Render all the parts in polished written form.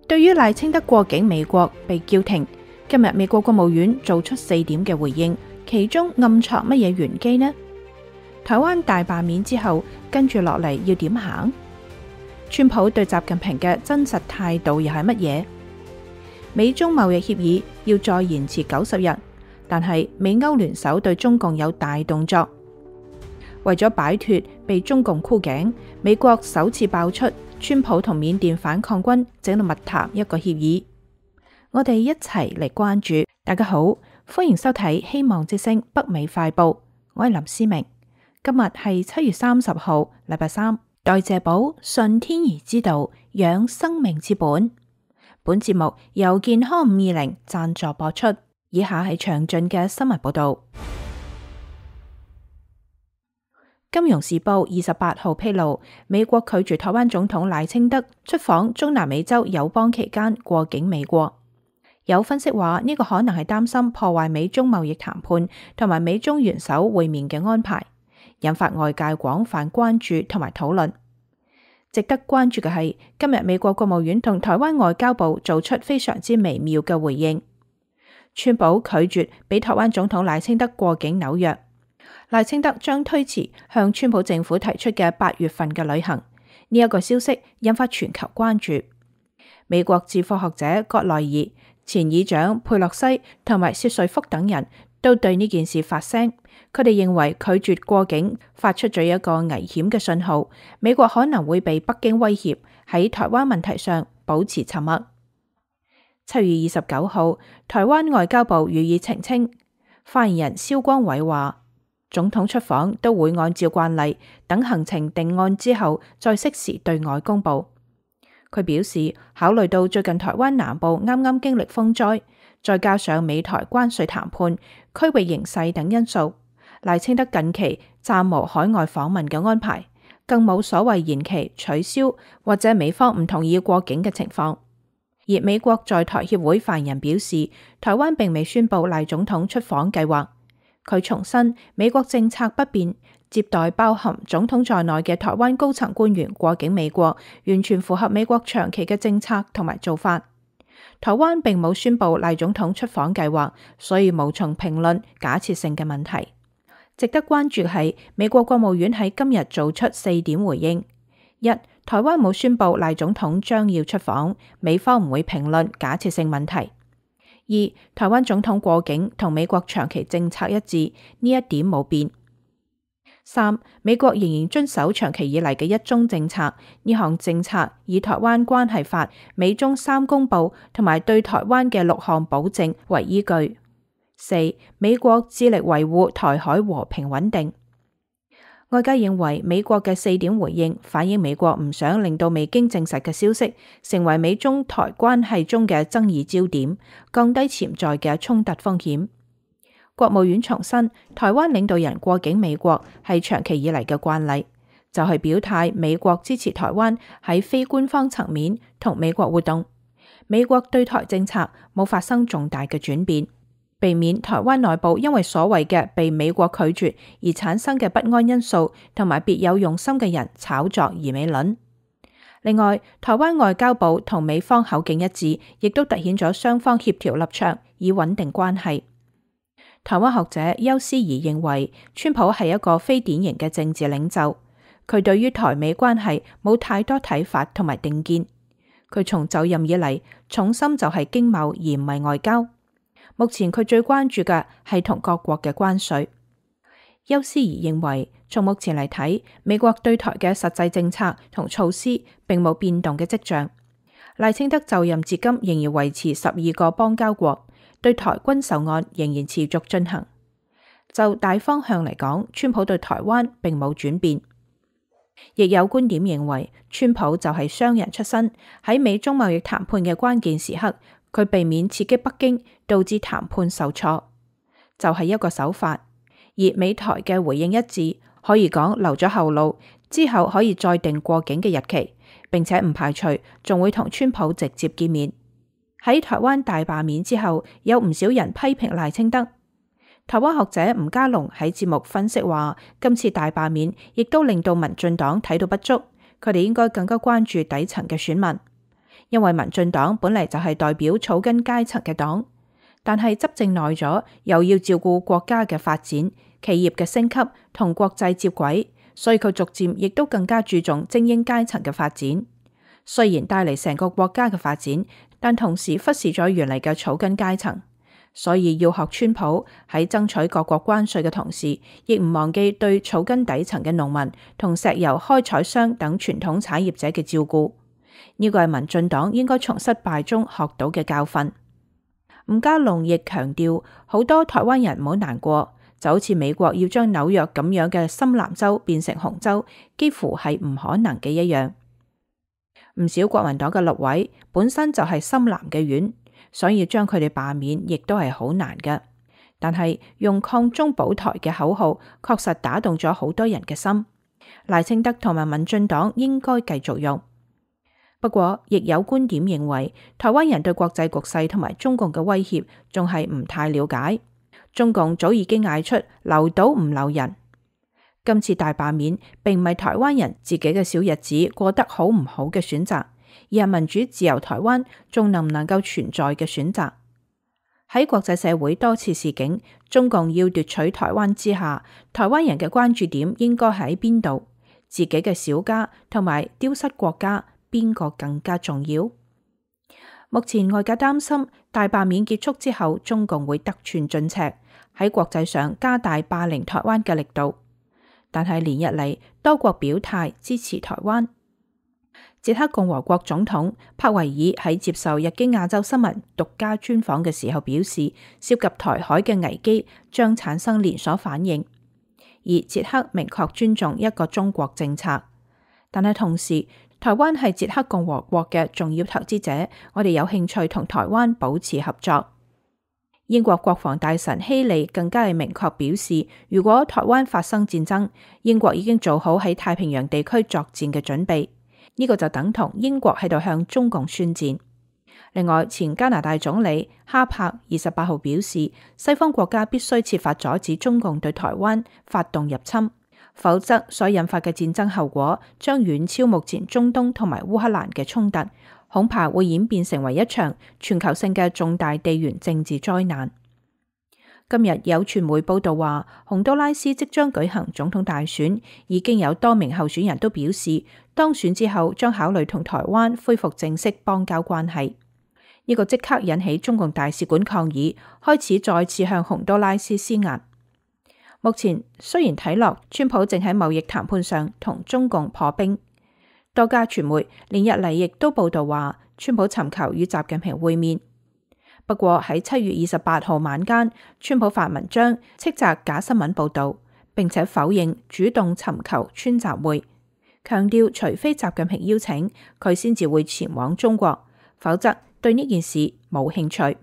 對於賴清德過境美國被叫停，今日美國國務院做出4點嘅回應，其中暗藏乜嘢玄機呢？台灣大罷免之後，跟住落嚟要點行？川普對習近平嘅真實態度又係乜嘢？美中貿易協議要再延遲90日，但係美歐聯手對中共有大動作，為咗擺脫被中共箍頸，美國首次爆出川普同緬甸反抗軍整到密談一個協議。我哋一齊嚟關注。大家好，歡迎收睇希望之聲北美快報，我係林思明。今日係7月30號，禮拜三。代謝寶順天兒之道，養生命之本。本節目由健康520贊助播出。以下係詳盡嘅新聞報道。金融時報28號披露，美國拒絕台灣總統賴清德出訪中南美洲友邦期間過境美國。有分析話呢個可能係擔心破壞美中貿易談判同埋美中元首會面嘅安排，引發外界廣泛關注同埋討論。值得關注嘅係，今日美國國務院同台灣外交部做出非常之微妙嘅回應。川普拒絕俾台灣總統賴清德過境紐約，賴清德將推遲向川普政府提出嘅8月份嘅旅行。呢一個消息引發全球關注。美國智庫學者葛萊爾、前議長佩洛西同埋薛瑞福等人都對呢件事發聲，佢哋認為拒絕過境發出咗一個危險嘅信號，美國可能會被北京威脅喺台灣問題上保持沉默。7月29號，台灣外交部予以澄清，發言人蕭光偉話，總統出訪都會按照慣例，等行程定案之後再適時對外公佈。佢表示，考慮到最近台灣南部啱啱經歷風災，再加上美台關稅談判、區域形勢等因素，賴清德近期暫無海外訪問嘅安排，更冇所謂延期、取消或者美方唔同意過境嘅情況。而美國在台協會發言人表示，台灣並未宣布賴總統出訪計劃。佢重申美國政策不變，接待包含總統在內嘅台灣高層官員過境美國，完全符合美國長期嘅政策同埋做法。台灣並冇宣布賴總統出訪計劃，所以無從評論假設性嘅問題。值得關注嘅係，美國國務院喺今日做出4點回應：一、台灣冇宣布賴總統將要出訪，美方唔會評論假設性問題；二、台灣總統過境同美國長期政策一致，呢一點冇變；三、美國仍然遵守長期以嚟嘅一中政策，呢項政策以台灣關係法、美中3公報同埋對台灣嘅6項保證為依據；四、美國致力維護台海和平穩定。外界認為美國嘅4點回應反映美國唔想令到未經證實嘅消息成為美中台關係中嘅爭議焦點，降低潛在嘅衝突風險。國務院重申，台灣領導人過境美國係長期以嚟嘅慣例，就係表態美國支持台灣喺非官方層面同美國活動，美國對台政策冇發生重大嘅轉變，避免台灣內部因為所謂嘅被美國拒絕而產生嘅不安因素，同埋別有用心嘅人炒作而美論。另外，台灣外交部同美方口徑一致，亦都凸顯咗雙方協調立場以穩定關係。台灣學者邱思怡認為，川普係一個非典型嘅政治領袖，佢對於台美關係冇太多睇法同埋定見。佢從就任以嚟，重心就係經貿而唔係外交。目前佢最關注嘅係同各國嘅關稅。邱思怡認為，從目前嚟睇，美國對台嘅實際政策同措施並冇變動嘅跡象。賴清德就任至今仍然維持12個邦交國，對台軍售案仍然持續進行。就大方向嚟講，川普對台灣並冇轉變。亦有觀點認為，川普就係商人出身，喺美中貿易談判嘅關鍵時刻，佢避免刺激北京，導致談判受挫，就係一個手法。而美台嘅回應一致，可以講留咗後路，之後可以再定過境嘅日期，並且唔排除仲會同川普直接見面。喺台灣大罷免之後，有唔少人批評賴清德。台灣學者吳家龍喺節目分析話，今次大罷免亦都令到民進黨睇到不足，佢哋應該更加關注底層嘅選民。因為民進黨本嚟就係代表草根階層嘅黨，但係執政耐咗，又要照顧國家嘅發展、企業嘅升級同國際接軌，所以佢逐漸亦都更加注重精英階層嘅發展。雖然帶嚟成個國家嘅發展，但同時忽視咗原嚟嘅草根階層。所以要學川普喺爭取各國關稅嘅同時，亦唔忘記對草根底層嘅農民同石油開採商等傳統產業者嘅照顧。呢個係民進黨應該從失敗中學到嘅教訓。吳嘉隆亦強調，好多台灣人唔好難過，就好似美國要將紐約咁樣嘅深藍州變成紅州，幾乎係唔可能嘅一樣。唔少國民黨嘅立委本身就係深藍嘅院，所以將佢哋罷免亦都係好難嘅。但係用抗中保台嘅口號，確實打動咗好多人嘅心。賴清德同埋民進黨應該繼續用。不過，亦有觀點認為，台灣人對國際局勢同埋中共嘅威脅仲係唔太了解。中共早已經嗌出留島唔留人。今次大罷免並唔係台灣人自己嘅小日子過得好唔好嘅選擇，而係民主自由台灣仲能唔能夠存在嘅選擇。喺國際社會多次示警，中共要奪取台灣之下，台灣人嘅關注點應該喺邊度？自己嘅小家同埋丟失國家，邊個更加重要？目前外界擔心大罷免結束之後，中共會得寸進尺，喺國際上加大霸凌台灣嘅力度。但係連日嚟，多國表態支持台灣。捷克共和國總統帕維爾喺接受日經亞洲新聞獨家專訪嘅時候表示，涉及台海嘅危機將產生連鎖反應，而捷克明確尊重一個中國政策。但係同時，台灣係捷克共和國嘅重要投資者，我哋有興趣同台灣保持合作。英國國防大臣希利更加係明確表示，如果台灣發生戰爭，英國已經做好喺太平洋地區作戰嘅準備。呢個就等同英國喺度向中共宣戰。另外，前加拿大總理哈柏28號表示，西方國家必須設法阻止中共對台灣發動入侵，否則所引發嘅戰爭後果將遠超目前中東同埋烏克蘭嘅衝突，恐怕會演變成為一場全球性嘅重大地緣政治災難。今日有傳媒報道話，洪都拉斯即將舉行總統大選，已經有多名候選人都表示，當選之後將考慮同台灣恢復正式邦交關係。呢個即刻引起中共大使館抗議，開始再次向洪都拉斯施壓。目前雖然睇落川普正喺貿易談判上同中共破冰，多家傳媒連日嚟亦都報道話，川普尋求與習近平會面。不過喺7月28號晚間，川普發文章斥責假新聞報道，並且否認主動尋求川習會，強調除非習近平邀請，佢先至會前往中國，否則對呢件事冇興趣。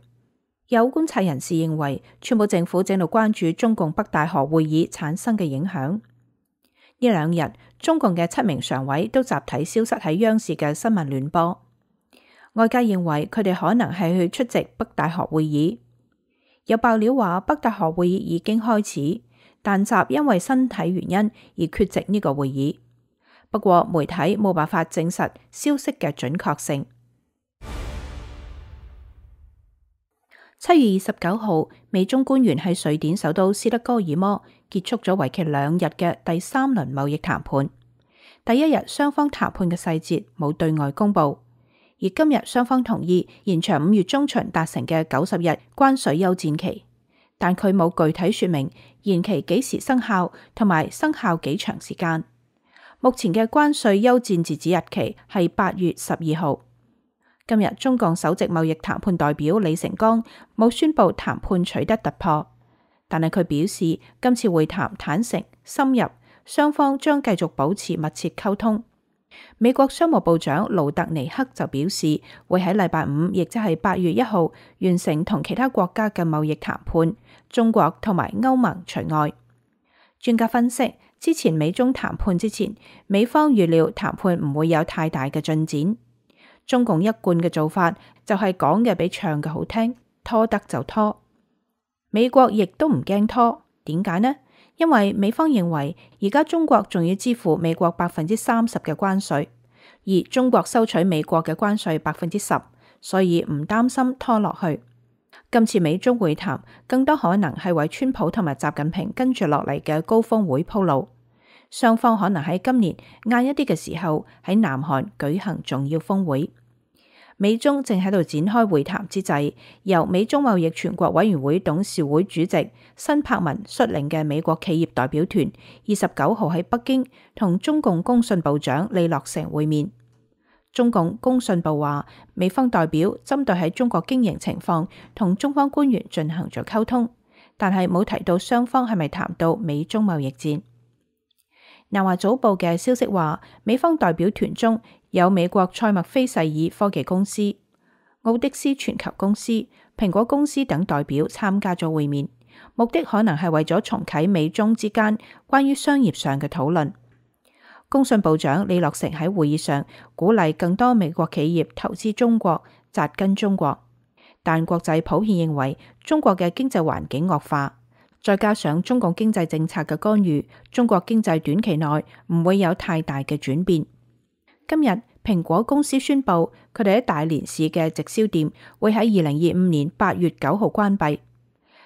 有觀察人士認為，川普政府正度關注中共北戴河會議產生嘅影響。呢兩日，中共嘅7名常委都集體消失喺央視嘅新聞聯播。外界認為佢哋可能係去出席北戴河會議。有爆料話北戴河會議已經開始，但習因為身體原因而缺席呢個會議。不過媒體冇辦法證實消息嘅準確性。7月29號，美中官員喺瑞典首都斯德哥爾摩結束咗為期2日嘅第3輪貿易談判。第一日雙方談判嘅細節冇對外公佈。而今日雙方同意延長5月中旬達成嘅90日關稅休戰期，但佢冇具體說明延期幾時生效同埋生效幾長時間。目前嘅關稅休戰截止日期係8月12號。今日中共首席貿易談判代表李成鋼冇宣布談判取得突破，但係佢表示今次會談坦誠深入，雙方將繼續保持密切溝通。美國商務部長盧特尼克就表示，會喺禮拜5，亦即係8月1號完成同其他國家嘅貿易談判，中國同埋歐盟除外。專家分析，之前美中談判之前，美方預料談判唔會有太大嘅進展。中共一貫嘅做法就係講嘅比唱嘅好聽，拖得就拖。美國亦都唔驚拖，點解呢？因為美方認為而家中國仲要支付美國30%嘅關稅，而中國收取美國嘅關稅10%，所以唔擔心拖落去。今次美中會談更多可能係為川普同埋習近平跟住落嚟嘅高峰會鋪路，雙方可能喺今年晏一啲嘅時候喺南韓舉行重要峰會。美中正喺度展開會談之際，由美中貿易全國委員會董事會主席辛柏文率領嘅美國企業代表團29號喺北京同中共工信部長李樂成會面。中共工信部話，美方代表針對喺中國經營情況同中方官員進行咗溝通，但係冇提到雙方係咪談到美中貿易戰。南華早報嘅消息話，美方代表團中有美國賽默菲世爾科技公司、奧迪斯全球公司、蘋果公司等代表參加咗會面，目的可能係為咗重啟美中之間關於商業上嘅討論。工信部長李樂成喺會議上鼓勵更多美國企業投資中國、紮根中國，但國際普遍認為中國嘅經濟環境惡化，再加上中共經濟政策嘅干預，中國經濟短期內唔會有太大嘅轉變。今日蘋果公司宣布，佢哋喺大連市嘅直銷店會喺2025年8月9號關閉。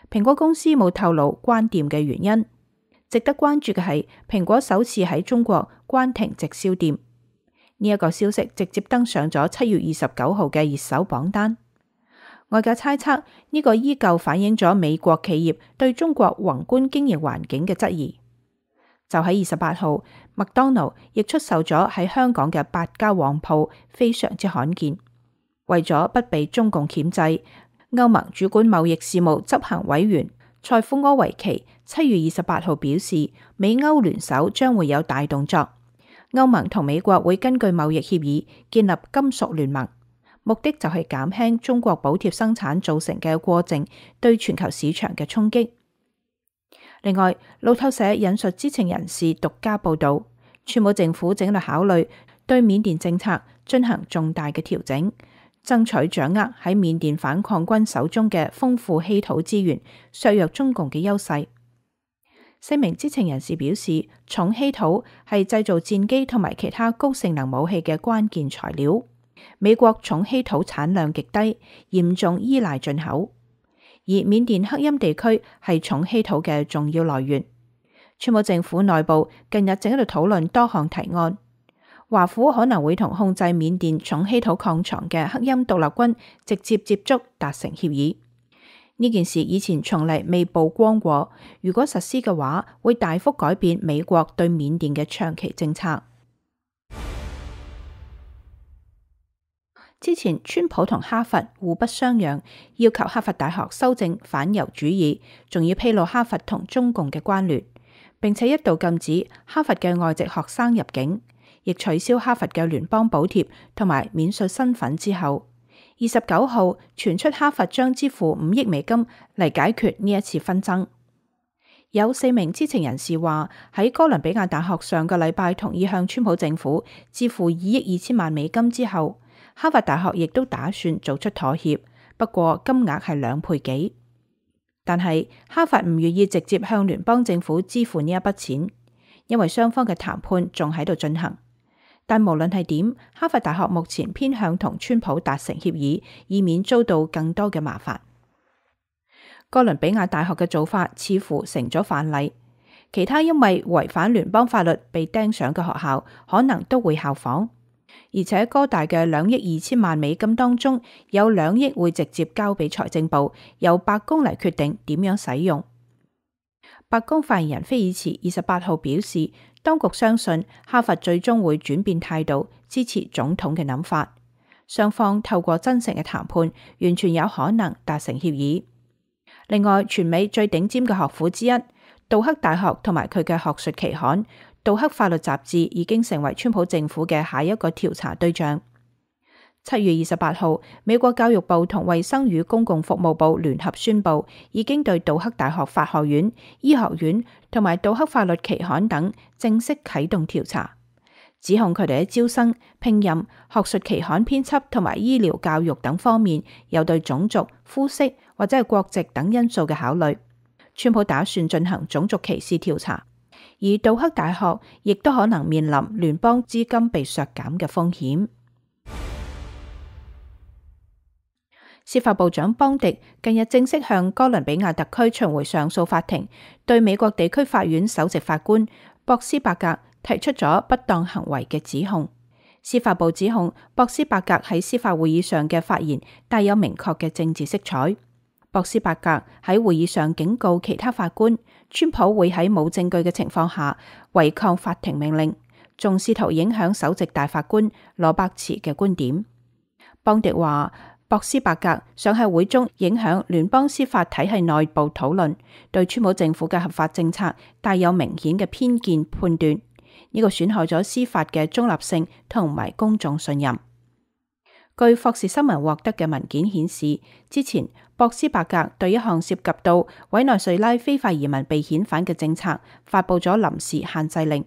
蘋果公司冇透露關店嘅原因。值得關注嘅係，蘋果首次喺中國關停直銷店，呢一個消息直接登上咗7月29號嘅熱搜榜單。外界猜測呢個依舊反映咗美國企業對中國宏觀經營環境嘅質疑。就喺28號，麥當勞亦出售咗喺香港嘅8家旺鋪，非常之罕見。為咗不被中共鉗制，歐盟主管貿易事務執行委員塞夫柯維奇7月28號表示，美歐聯手將會有大動作。歐盟同美國會根據貿易協議建立金屬聯盟，目的就係減輕中國補貼生產造成嘅過剩對全球市場嘅衝擊。另外，路透社引述知情人士獨家報道，川普政府正喺度考慮對緬甸政策進行重大嘅調整，爭取掌握喺緬甸反抗軍手中嘅豐富稀土資源，削弱中共嘅優勢。4名知情人士表示，重稀土係製造戰機同埋其他高性能武器嘅關鍵材料。美國重稀土產量極低，嚴重依賴進口，而緬甸克欽地區係重稀土嘅重要來源。川普政府內部近日正喺度討論多項提案，華府可能會同控制緬甸重稀土礦床嘅克欽獨立軍直接接觸，達成協議。呢件事以前從嚟未曝光過，如果實施嘅話，會大幅改變美國對緬甸嘅長期政策。之前川普同哈佛互不相讓，要求哈佛大學修正反猶主義，仲要披露哈佛同中共嘅關聯，並且一度禁止哈佛嘅外籍學生入境，亦取消哈佛嘅聯邦補貼同埋免稅身份之後，29號傳出哈佛將支付5億美金嚟解決呢一次紛爭。有4名知情人士話，喺哥倫比亞大學上個禮拜同意向川普政府支付2億2千萬美金之後，哈佛大學亦都打算做出妥協，不過金額係2倍幾。但係哈佛唔願意直接向聯邦政府支付呢一筆錢，因為雙方嘅談判仲喺度進行。但無論係點，哈佛大學目前偏向同川普達成協議，以免遭到更多嘅麻煩。哥倫比亞大學嘅做法似乎成咗範例，其他因為違反聯邦法律被盯上嘅學校可能都會效仿。而且哥大嘅2億2千萬美金當中，有2億會直接交俾財政部，由白宮嚟決定點樣使用。白宮發言人菲爾茨28號表示，當局相信哈佛最終會轉變態度，支持總統嘅諗法。雙方透過真誠嘅談判，完全有可能達成協議。另外，全美最頂尖嘅學府之一，杜克大學同埋佢嘅學術期刊杜克法律雜誌已經成為川普政府嘅下一個調查對象。7月28號，美國教育部同衛生與公共服務部聯合宣布，已經對杜克大學法學院、醫學院同埋杜克法律期刊等正式啟動調查，指控佢哋喺招生、聘任、學術期刊編輯同埋醫療教育等方面有對種族、膚色或者係國籍等因素嘅考慮。川普打算進行種族歧視調查，而杜克大學亦都可能面臨聯邦資金被削減嘅風險。司法部長邦迪近日正式向哥倫比亞特區巡迴上訴法庭對美國地區法院首席法官博斯伯格提出咗不當行為嘅指控。司法部指控博斯伯格喺司法會議上嘅發言帶有明確嘅政治色彩。博斯伯格喺會議上警告其他法官，川普會喺冇證據嘅情況下違抗法庭命令，仲試圖影響首席大法官羅伯茨嘅觀點。邦迪話，博斯伯格想喺會中影響聯邦司法體系內部討論，對川普政府嘅合法政策帶有明顯嘅偏見判斷，呢個損害咗司法嘅中立性同埋公眾信任。據霍士新聞獲得嘅文件顯示，之前博斯伯格對一項涉及到委內瑞拉非法移民被遣返嘅政策發布咗臨時限制令。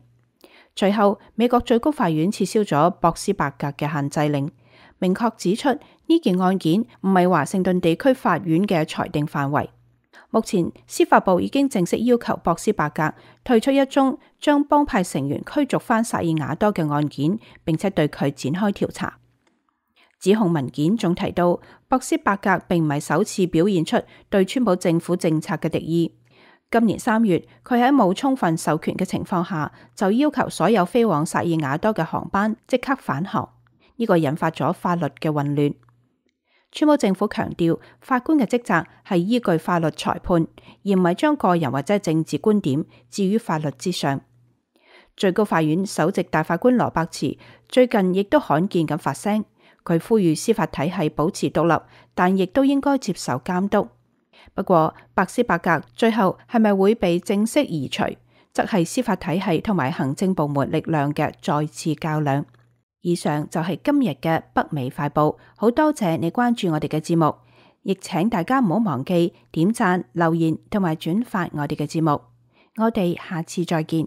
隨後，美國最高法院撤銷咗博斯伯格嘅限制令，明確指出呢件案件唔係華盛頓地區法院嘅裁定範圍。目前，司法部已經正式要求博斯伯格退出一宗將幫派成員驅逐返薩爾瓦多嘅案件，並且對佢展開調查。指控文件仲提到，博斯伯格並唔係首次表現出對川普政府政策嘅敵意。今年3月，佢喺冇充分授權嘅情況下，就要求所有飛往薩爾瓦多嘅航班即刻返航，呢個引發咗法律嘅混亂。川普政府強調，法官嘅職責係依據法律裁判，而唔係將個人或者政治觀點置於法律之上。最高法院首席大法官羅伯茨最近亦都罕見咁發聲，佢呼籲司法體系保持獨立，但亦都應該接受監督。不過，博斯伯格最後係咪會被正式移除，則係司法體系同埋行政部門力量嘅再次較量。以上就係今日嘅北美快報，好多謝你關注我哋嘅節目，亦請大家唔好忘記點讚、留言同埋轉發我哋嘅節目。我哋下次再見。